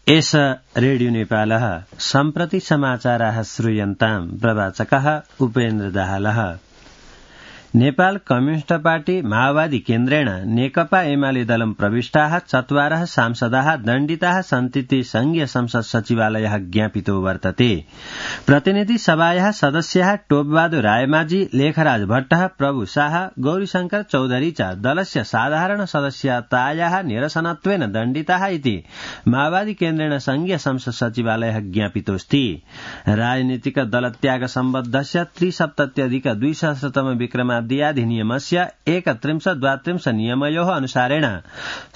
एष रेडियो नेपालः सम्प्रति समाचाराः श्रूयन्ताम् प्रवाचकः उपेन्द्र दाहालः। नेपाल कम्युनिस्ट पार्टी माओवादी केन्द्रेण नेकपा एमाले दलं प्रविष्टाः 4 सांसदाः दण्डिताः सन्तीति संघीय संसद सचिवालयः ज्ञापितो वर्तते। प्रतिनिधि सभायाः सदस्याः टोपबहादुर रायमाझी, लेखराज भट्टः, प्रभु शाह, गौरीशंकर चौधरी च दलस्य साधारण सदस्यतायाः निरसनत्वेन दण्डिताः इति माओवादी केन्द्रेण संघीय संसद सचिवालयः ज्ञापितोऽस्ति। राजनीतिक दलत्याग सम्बद्धस्य 3सप्तत्यधिक-2सहस्रतम विक्रमादियाधिनियमस्य 31-32 नियमयोः अनुसारेण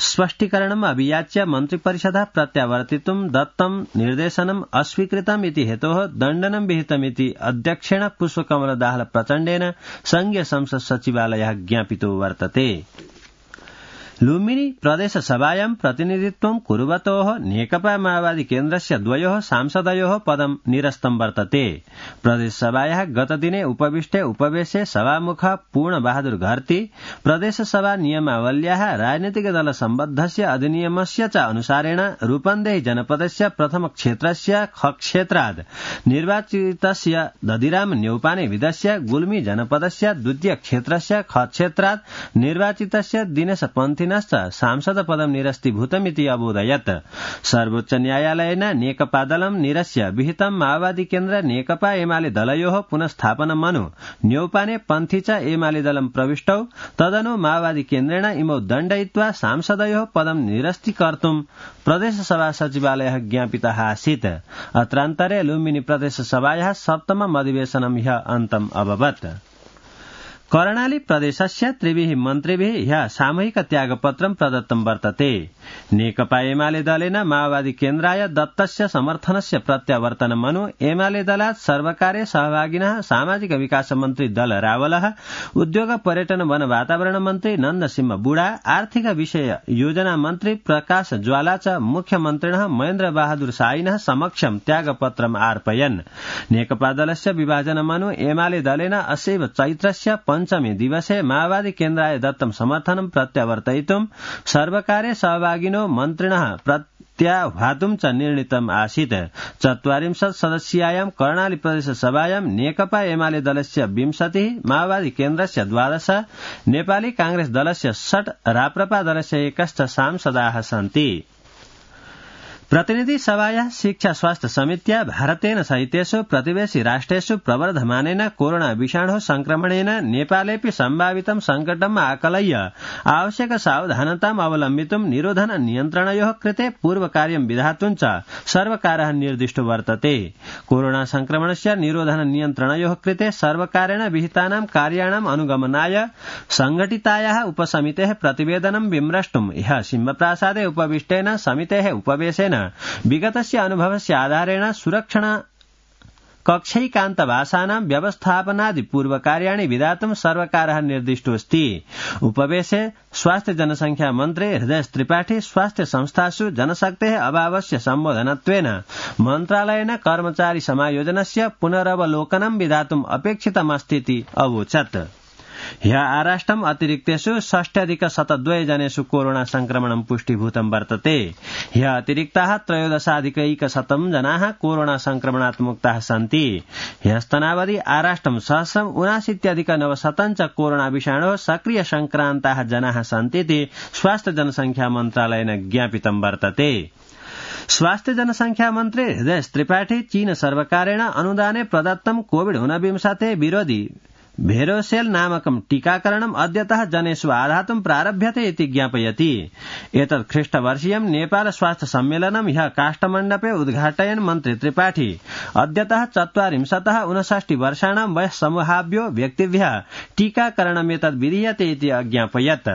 स्पष्टीकरणम् अभियाच्य मन्त्रिपरिषदः प्रत्यावर्तितुं दत्तं निर्देशनम् अस्वीकृतम् इति हेतोः दण्डनं विहितमिति अध्यक्षेण पुष्पकमल दाहाल प्रचण्डेन संघीय संसद सचिवालयः ज्ञापितो वर्तते। लुम्बिनी प्रदेश सभायां प्रतिनिधित्वं कुर्वतोः नेकपा माओवादी केन्द्रस्य 2 सांसदयोः पदं निरस्तं वर्तते। प्रदेश सभायाः गतदिने उपविष्टे उपवेशे सभामुख पूर्णबहादुर घरती प्रदेश सभा नियमावल्याः राजनीतिक दल सम्बद्धस्य अधिनियमस्य च अनुसारेण रूपन्देही जनपदस्य प्रथम क्षेत्रस्य ख क्षेत्राद् निर्वाचितस्य दधिराम न्यौपाने विदस्य गुल्मी जनपदस्य द्वितीय क्षेत्रस्य ख क्षेत्राद् निर्वाचितस्य दिनेश पन्थी सांसद पदं निरस्तीभूतमिति अबोधयत्। सर्वोच्च न्यायालयेन नेकपा दलं निरस्य विहितं माओवादी केन्द्र नेकपा एमाले दलयोः पुनस्थापनमनु न्यौपाने पन्थी च एमाले दलं प्रविष्टौ तदनु माओवादी केन्द्रेण इमौ दण्डयित्वा सांसदयोः पदं निरस्तीकर्तुं प्रदेश सभा सचिवालयः ज्ञापितः आसीत्। अत्रान्तरे लुम्बिनी प्रदेश सभायाः 7मम् अधिवेशनं ह्यः अन्तम् अभवत्। कर्णाली प्रदेशस्य 3 मन्त्रिभिः ह्यः सामूहिक त्यागपत्रं प्रदत्तं वर्तते। नेकपा एमाले दलेन माओवादी केन्द्राय दत्तस्य समर्थनस्य प्रत्यावर्तनमनु एमाले दलात् सर्वकार्य सहभागिनः सामाजिक विकास मन्त्री दल रावलः, उद्योग पर्यटन वन वातावरण मन्त्री नन्दसिंह बुढा, आर्थिक विषय योजना मन्त्री प्रकाश ज्वाला च मुख्यमन्त्रिणः महेन्द्र बहादुर शाहिनः समक्षं त्यागपत्रम् अर्पयन्। नेकपा दलस्य विभाजनमनु एमाले दलेन असैव चैत्रस्य 5मे दिवसे माओवादी केन्द्राय दत्तं समर्थनं प्रत्यावर्तयितुं सर्वकार्य सहभागिनो मन्त्रिणः प्रत्याह्वातुं च निर्णीतम् आसीत्। 40 सदस्यायां कर्णाली प्रदेश सभायां नेकपा एमाले दलस्य 20, माओवादी केन्द्रस्य 12, नेपाली कांग्रेस दलस्य 6, राप्रपा दलस्य 1 सांसदाः सन्ति। प्रतिनिधि सभायाः शिक्षा स्वास्थ्य समित्या भारतेन सहितेषु प्रतिवेशी राष्ट्रेषु प्रवर्धमानेन कोरोना विषाणु संक्रमणेन नेपालेऽपि सम्भावितं संकटम् आकलय्य आवश्यक सावधानताम् अवलम्बितुं निरोधन नियन्त्रणयोः कृते पूर्वकार्यं विधातुं च सर्वकारः निर्दिष्टो वर्तते। कोरोना संक्रमणस्य निरोधन नियन्त्रणयोः कृते सर्वकारेण विहितानां कार्याणाम् अनुगमनाय संघटितायाः उपसमितेः प्रतिवेदनं विमृष्टुं ह्यः सिंहप्रासादे उपविष्टेन समितेः उपवेशेन विगतस्य अनुभवस्य आधारेण सुरक्षण कक्षैकान्तवासानां व्यवस्थापनादि पूर्वकार्याणि विधातुं सर्वकारः निर्दिष्टोऽस्ति। उपवेशे स्वास्थ्य जनसंख्या मन्त्री हृदय त्रिपाठी स्वास्थ्य संस्थासु जनशक्तेः अभावस्य सम्बोधनत्वेन मन्त्रालयेन कर्मचारी समायोजनस्य पुनरवलोकनं विधातुम् अपेक्षितमस्तीति अवोचत्। ह्यः आराष्ट्रम् अतिरिक्तेषु 6,072 जनेषु कोरोना संक्रमणं पुष्टिभूतं वर्तते। ह्यः अतिरिक्ताः 13,100 जनाः कोरोना संक्रमणात् मुक्ताः सन्ति। ह्यस्तनावधि आराष्ट्रं 1,79,900 च कोरोना विषाणोः सक्रिय संक्रान्ताः जनाः सन्तीति स्वास्थ्य जनसंख्या मन्त्रालयेन ज्ञापितं वर्तते। स्वास्थ्य जनसंख्या मन्त्री हृदय त्रिपाठी चीन सर्वकारेण अनुदाने प्रदत्तं कोविड-19 विरोधी भेरोसेल नामकं टीकाकरणम् अद्यतः जनेषु आधातुं प्रारभ्यते इति ज्ञापयति। एतत् ख्रीष्टवर्षीयं नेपाल स्वास्थ्य सम्मेलनं ह्यः काष्ठमण्डपे उद्घाटयन् मन्त्री त्रिपाठी अद्यतः 40-59 वर्षाणां वयस्समूहाभ्यो व्यक्तिभ्यः टीकाकरणमेतद् विधीयते इति अज्ञापयत्।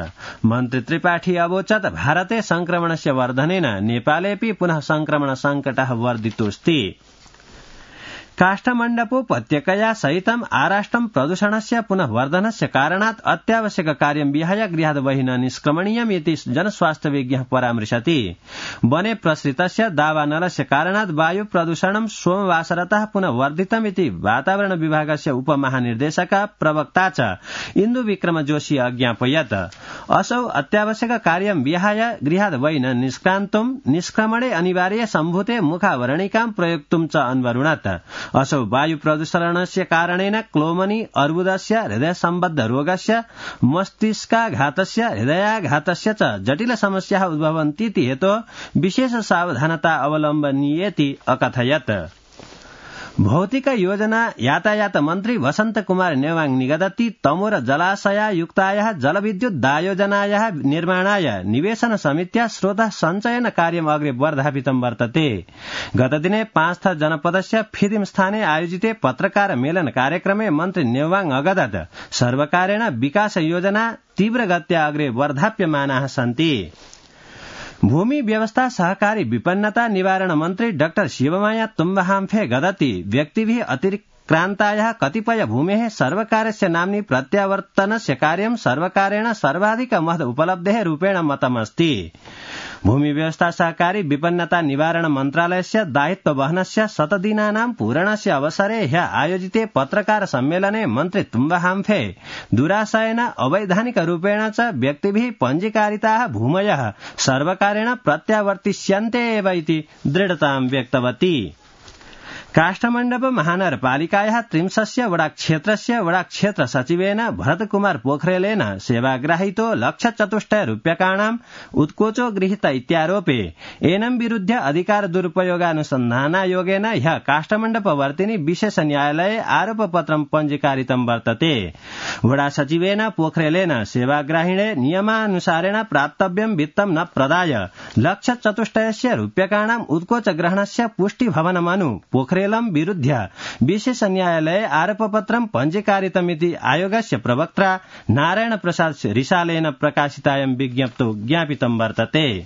मन्त्री त्रिपाठी अवोचत् भारते संक्रमणस्य वर्धनेन नेपालेऽपि पुनः संक्रमण संकटः वर्धितोऽस्ति। काष्ठमण्डपोपत्यकया सहितम् आराष्ट्रं प्रदूषणस्य पुनः वर्धनस्य कारणात् अत्यावश्यक कार्यं विहाय गृहात् बहिः न निष्क्रमणीयम् इति जनस्वास्थ्यविज्ञः परामृशति। वने प्रसृतस्य दावानलस्य कारणात् वायु प्रदूषणं सोमवासरतः पुनः वर्धितम् इति वातावरण विभागस्य उपमहानिर्देशकः प्रवक्ता च इन्दु विक्रम जोशी अज्ञापयत्। असौ अत्यावश्यक कार्यं विहाय गृहात् बहिः न निष्क्रान्तुं निष्क्रमणे अनिवार्य सम्भूते मुखावरणिकां प्रयोक्तुं च अन्वरुणत्। असौ वायु प्रदूषणस्य कारणेन क्लोमनी अर्बुदस्य हृदय सम्बद्ध रोगस्य मस्तिष्काघातस्य हृदयाघातस्य च जटिल समस्याः उद्भवन्तीति हेतोः विशेष सावधानता अवलम्बनीयेति अकथयत्। भौतिक योजना यातायात मन्त्री वसन्त कुमार नेवाङ निगदति तमोर जलाशयायुक्तायाः जलविद्युद्दायोजनायाः निर्माणाय निवेशन समित्या स्रोतः सञ्चयन कार्यम् अग्रे वर्धापितं वर्तते। गतदिने 5 थर जनपदस्य फिदिम स्थाने आयोजिते पत्रकार मेलन कार्यक्रमे मन्त्री नेवाङ अगदत् सर्वकारेण विकास योजना तीव्रगत्या अग्रे वर्धाप्यमानाः सन्ति। भूमि व्यवस्था सहकारी विपन्नता निवारण मन्त्री डाक्टर शिवमाया तुम्बहाम्फे गदति व्यक्तिभिः अतिक्रान्तायाः कतिपय भूमेः सर्वकारस्य नाम्नि प्रत्यावर्तनस्य कार्यं सर्वकारेण सर्वाधिक महद उपलब्धेः रूपेण मतमस्ति। भूमि व्यवस्था सहकारी विपन्नता निवारण मन्त्रालयस्य दायित्व वहनस्य 100 दिनानां पूरणस्य अवसरे ह्यः आयोजिते पत्रकार सम्मेलने मन्त्री तुम्बहाम्फे दुराशयेन अवैधानिक रूपेण च व्यक्तिभिः पञ्जीकारिताः भूमयः सर्वकारेण प्रत्यावर्तिष्यन्ते एव इति दृढतां व्यक्तवती। काष्ठमण्डप महानगरपालिकायाः 30 वडाक्षेत्रस्य वडाक्षेत्र सचिवेन भरतकुमार पोखरेलेन सेवाग्राहितो ₹1,04,000 उत्कोचो गृहीत इत्यारोपे एनं विरुद्ध अधिकार दुरुपयोगानुसन्धानायोगेन ह्यः काष्ठमण्डपवर्तिनि विशेष न्यायालये आरोपपत्रं पञ्जीकारितं वर्तते। वडा सचिवेन पोखरेलेन सेवाग्राहिणे नियमानुसारेण प्राप्तव्यं वित्तं न प्रदाय ₹1,04,000 उत्कोच ग्रहणस्य पुष्टिभवनमनु पोखरेल विरुद्ध विशेष न्यायालये आरोपपत्रं पञ्जीकारितमिति आयोगस्य प्रवक्ता नारायण प्रसाद रिसालेन प्रकाशितायां विज्ञप्तौ ज्ञापितं वर्तते।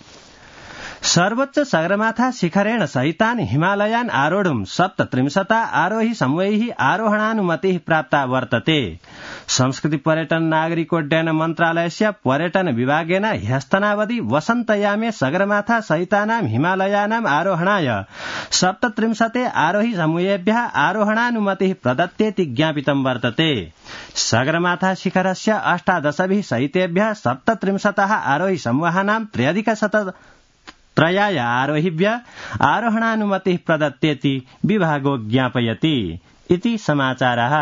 सर्वोच्च सगरमाथा शिखरेण सहितान् हिमालयान् आरोढुं 37 आरोही समूहैः आरोहणानुमतिः प्राप्ता वर्तते। संस्कृति पर्यटन नागरिकोड्डयन मन्त्रालयस्य पर्यटन विभागेन ह्यस्तनावधि वसन्तयामे सगरमाथा सहितानां हिमालयानाम् आरोहणाय 37 आरोही समूहेभ्यः आरोहणानुमतिः प्रदत्तेति ज्ञापितं वर्तते। सगरमाथा शिखरस्य 18 सहितेभ्यः 37 आरोही समूहानां 3,103 आरोहिभ्यः आरोहणानुमतिः प्रदत्तेति विभागो ज्ञापयति। इति समाचारः।